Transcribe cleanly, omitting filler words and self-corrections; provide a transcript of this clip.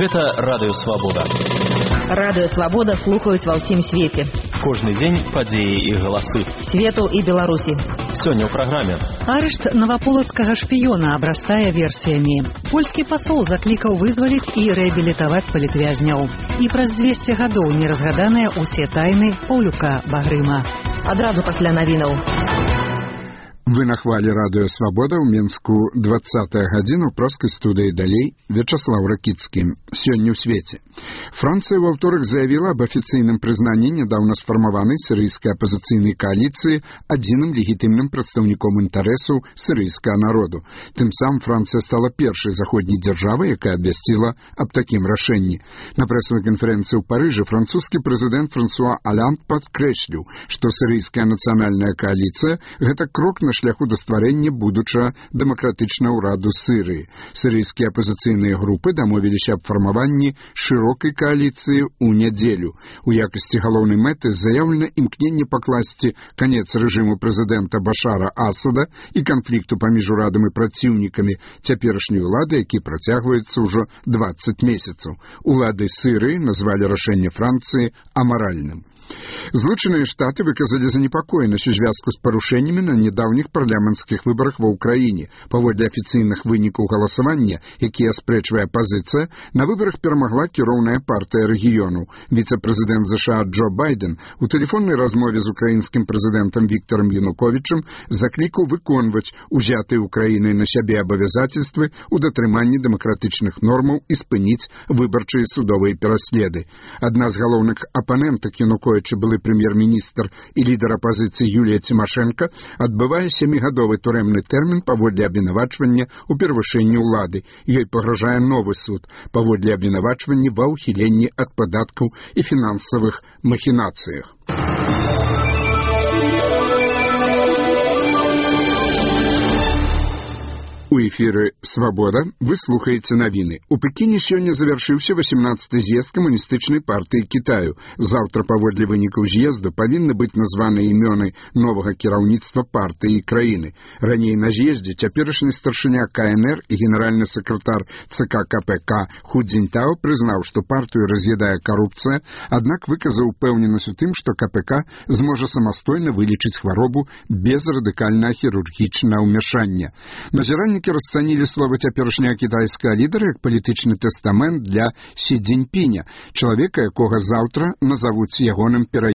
Гэта Радыё Свабода. Радыё Свабода слухаюць ва ўсім свеце. Кожны дзень падзеі і галасы. Свету і Беларусі. Сёння ў праграме. Арышт наваполацкага шпіёна абрастае версіямі. Польскі пасол заклікаў вызваліць і рэабілітаваць палітвязняў. І праз 200 гадоў не разгаданыя ўсе тайны Паўлюка Багрыма. Адразу пасля навінаў. Вы на хвалі Радыё Свабода ў Мінску 20-я гадзіна ў проскай студыі далей Вячаслав Ракіцкі. Сёння ў свеце. Францыя во ўторак заявіла об афіцыйным прызнанні нядаўна сфармаванай сірыйскай апазіцыйнай кааліцыі адзіным легітымным прадстаўніком інтарэсаў сірыйскага народу. Тым самым Францыя стала першай заходняй дзяржавай, якая абвясціла аб такім рашэнні. На прэсавай канферэнцыі ў Парыжы французскі прэзідэнт Франсуа Аланд падкрэсліў, што сірыйская нацыянальная кааліцыя – гэта крок на шляху да стварэння будучага дэмакратычнага ўраду Сірыі. Сірыйскія апазіцыйныя групы дамовіліся аб фармаванні шырокай кааліцыі ў нядзелю. У якасці галоўнай мэты заяўлена імкненне пакласці канец рэжыму прэзідэнта Башара Асада і канфлікту паміж урадам і праціўнікамі цяперашняй улады, які працягваецца ўжо 20 месяцаў. Улады Сірыі назвалі рашэнне Францыі амаральным. Злучаныя Штаты выказалі занепакоенасць у звязку з парушэннямі на нядаўніх парламенцкіх выбарах ва ўкраіне. Паводле афіцыйных вынікаў галасавання, якія аспрэчвае апазіцыя, на выбарах перамагла кіроўная партыя рэгіёнаў. Віцэ-прэзідэнт США Джо Байден у тэлефоннай размове з украінскім прэзідэнтам Віктарам Януковічам заклікаў выконваць узятыя Украінай на сябе абавязацельствы ў датрыманні дэмакратычных нормаў і спыніць выбарчыя судовыя пераследы. Адна з галоўных апанентак Януковіча, былы прэм'ер-міністр і лідар апазіцыі Юлія Цімашэнка, адбывае 7-гадовы турэмны тэрмін паводле абвінавачвання ў перавышэнні ўлады. Ёй пагражае новы суд паводле абвінавачвання ва ўхіленні ад падаткаў і фінансавых махінацыях. У эфіры «Свабода» вы слухаеце навіны. У Пекіне сёння завяршыўся 18-й з'езд камуністычнай партыі Кітаю. Заўтра паводле вынікаў з'езду павінны быць названыя імёны новага кіраўніцтва партыі і краіны. Раней на з'ездзе цяперашні старшыня КНР і генеральны сакратар ЦК КПК Ху Цзіньтао прызнаў, што партыю раз'ядае карупцыя, аднак выказаў упэўненасць у тым, што КПК зможа самастойна вылечыць хваробу без радыкальнага хірургічнага ўмяшання. Назіранні расцанілі словы цяперашняга кітайскага лідара як палітычны тэстамент для Сі Цзіньпіня, чалавека, якога заўтра назавуць ягоным